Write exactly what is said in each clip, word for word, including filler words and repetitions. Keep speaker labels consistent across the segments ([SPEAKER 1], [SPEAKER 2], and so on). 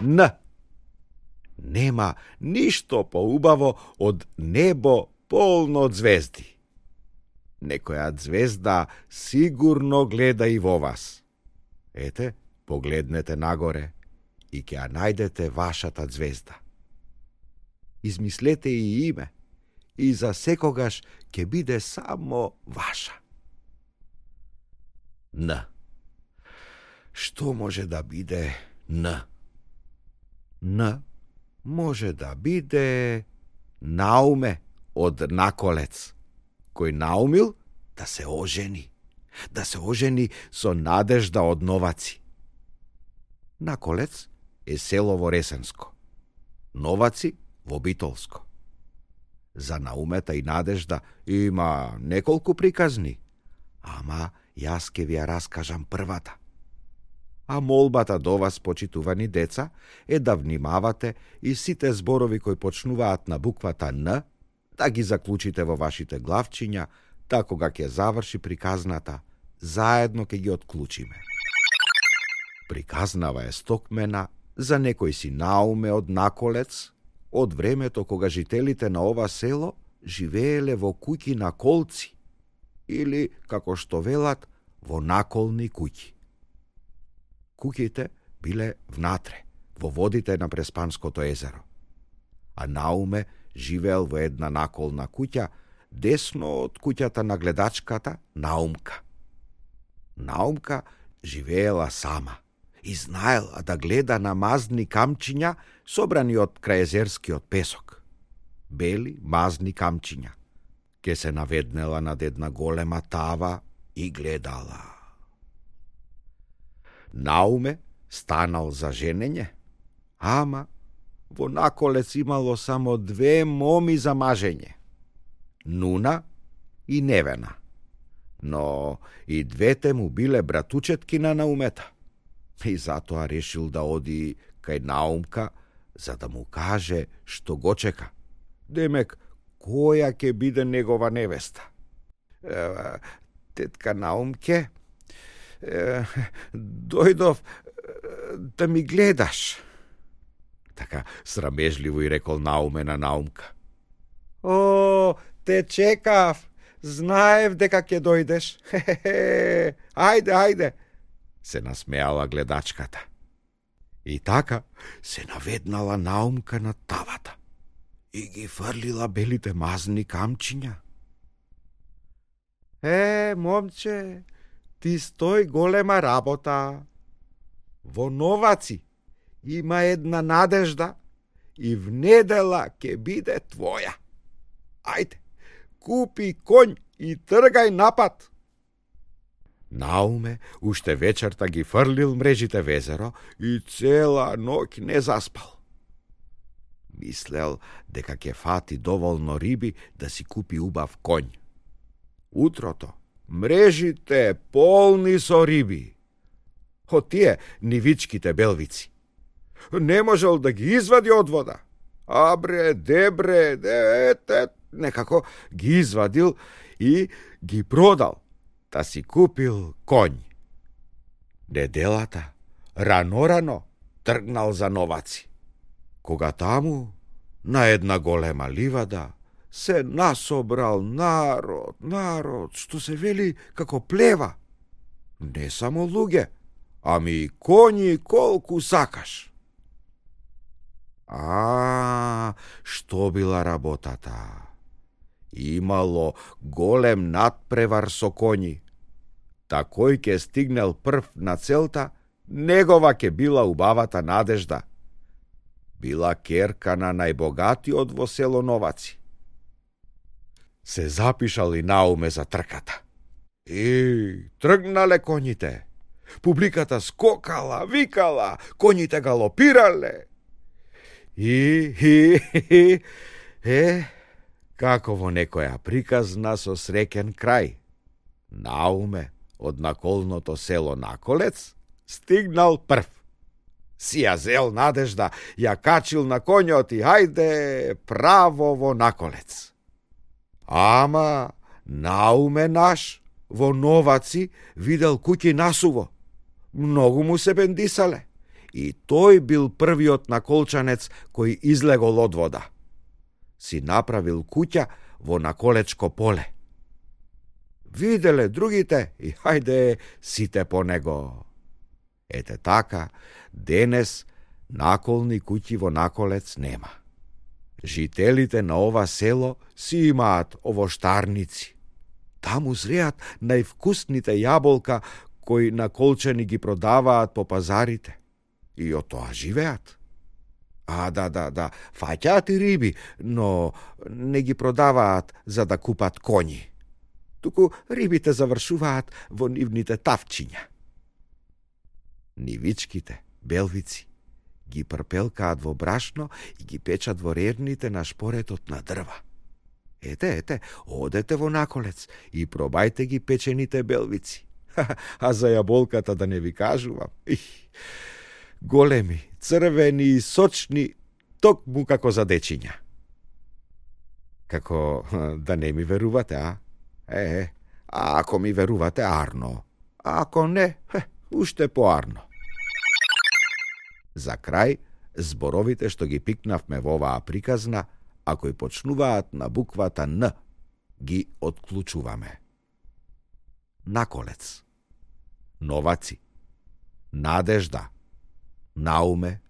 [SPEAKER 1] Н. Нема ништо поубаво од небо полно од звезди. Некоја звезда сигурно гледа и во вас. Ете, погледнете нагоре и ќе ја најдете вашата звезда. Измислете и име и за секогаш ќе биде само ваша. Н. Што може да биде Н? Н може да биде Науме од Наколец, кој наумил да се ожени, да се ожени со Надежда од Новаци. Наколец е село во Ресенско, Новаци во Битолско. За Наумета и Надежда има неколку приказни, ама јас ке ви ја раскажам првата. А молбата до вас, почитувани деца, е да внимавате и сите зборови кои почнуваат на буквата Н, да ги заклучите во вашите главчиња, та кога ќе заврши приказната, заедно ќе ги отклучиме. Приказнава е стокмена за некој си Науме од Наколец, од времето кога жителите на ова село живееле во куќи на колци, или, како што велат, во наколни куќи. Куќите биле внатре, во водите на Преспанското езеро, а Науме живеел во една наколна куќа, десно од куќата на гледачката Наумка. Наумка живеела сама и знаела да гледа на мазни камчиња собрани од крајезерскиот песок. Бели, мазни камчиња. Ке се наведнела над една голема тава и гледала. Науме станал за женење, ама во Наколец имало само две моми за мажење. Нуна и Невена. Но и двете му биле братучетки на Наумета. И затоа решил да оди кај Наумка, за да му каже што го чека. Демек, која ќе биде негова невеста? Е, тетка Наумке, е, дојдов да ми гледаш. Така срамежливо и рекол Науме на Наумка. О, те чекав, знаев дека ќе дојдеш. Хе-хе-хе, ајде, ајде, се насмеала гледачката. И така се наведнала Наумка на тавата и ги фрлила белите мазни камчиња. Е, момче, ти стои голема работа. Во Новаци има една Надежда и в недела ќе биде твоја. Ајде, купи конј и тргај напад. Науме уште вечерта ги фрлил мрежите в езеро и цела ноќ не заспал. Мислел дека ќе фати доволно риби да си купи убав конј. Утрото мрежите полни со риби. Од тие нивичките белвици. Не можел да ги извади од вода. Абре, дебре, дете, некако ги извадил и ги продал, та си купил конј. Неделата, рано-рано, тргнал за Новаци. Кога таму, на една голема ливада, се насобрал народ, народ, што се вели како плева. Не само луѓе, ами и коњи колку сакаш. А, што била работата? Имало голем надпревар со коњи. Та кој ќе стигнел прв на целта, негова ќе била убавата Надежда. Била керка на најбогатиот во село Новаци. Се запишал и Науме за трката. И тргнале коњите. Публиката скокала, викала, коњите галопирале. И, и, и, е, како во некоја приказна со среќен крај. Науме од наколното село Наколец стигнал прв. Си ја зел Надежда, ја качил на коњот и хајде право во Наколец. Ама Науме наш во Новаци видел куќи насуво. Многу му се бендисале И тој бил првиот наколчанец кој излегол од вода. Си направил куќа во наколечко поле. Виделе другите и хајде сите по него. Ете така, денес наколни куќи во Наколец нема. Жителите на ова село си имаат овоштарници. Таму зреат највкусните јаболка кои наколчани ги продаваат по пазарите. И од тоа живеат. А, да, да, да, фаќаат и риби, но не ги продаваат за да купат коњи. Туку рибите завршуваат во нивните тавчиња. Нивичките, белвици, ги прпелкаат во брашно и ги печат во рерните на шпоретот на дрва. Ете, ете, одете во Наколец и пробајте ги печените белвици. А за јаболката да не ви кажувам. Их, големи, црвени и сочни, токму како за дечиња. Како да не ми верувате, а? Е, а ако ми верувате, арно. А ако не, хе, уште поарно. За крај, зборовите што ги пикнавме во оваа приказна, а кои почнуваат на буквата Н, ги отклучуваме. Наколец, новаци, надежда, науме,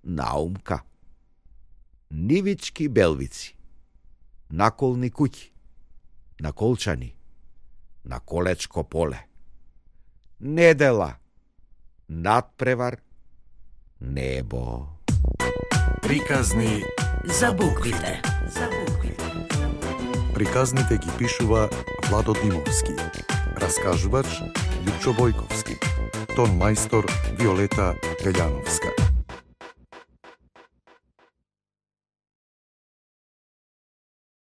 [SPEAKER 1] наумка, нивички белвици, наколни куќи, наколчани, наколечко поле, недела, надпревар, небо.
[SPEAKER 2] Приказни
[SPEAKER 3] за буквите. За буквите.
[SPEAKER 2] Приказните ги пишува Владо Димовски. Раскажувач Лјупчо Бојковски. Тон мајстор Виолета Пељановска.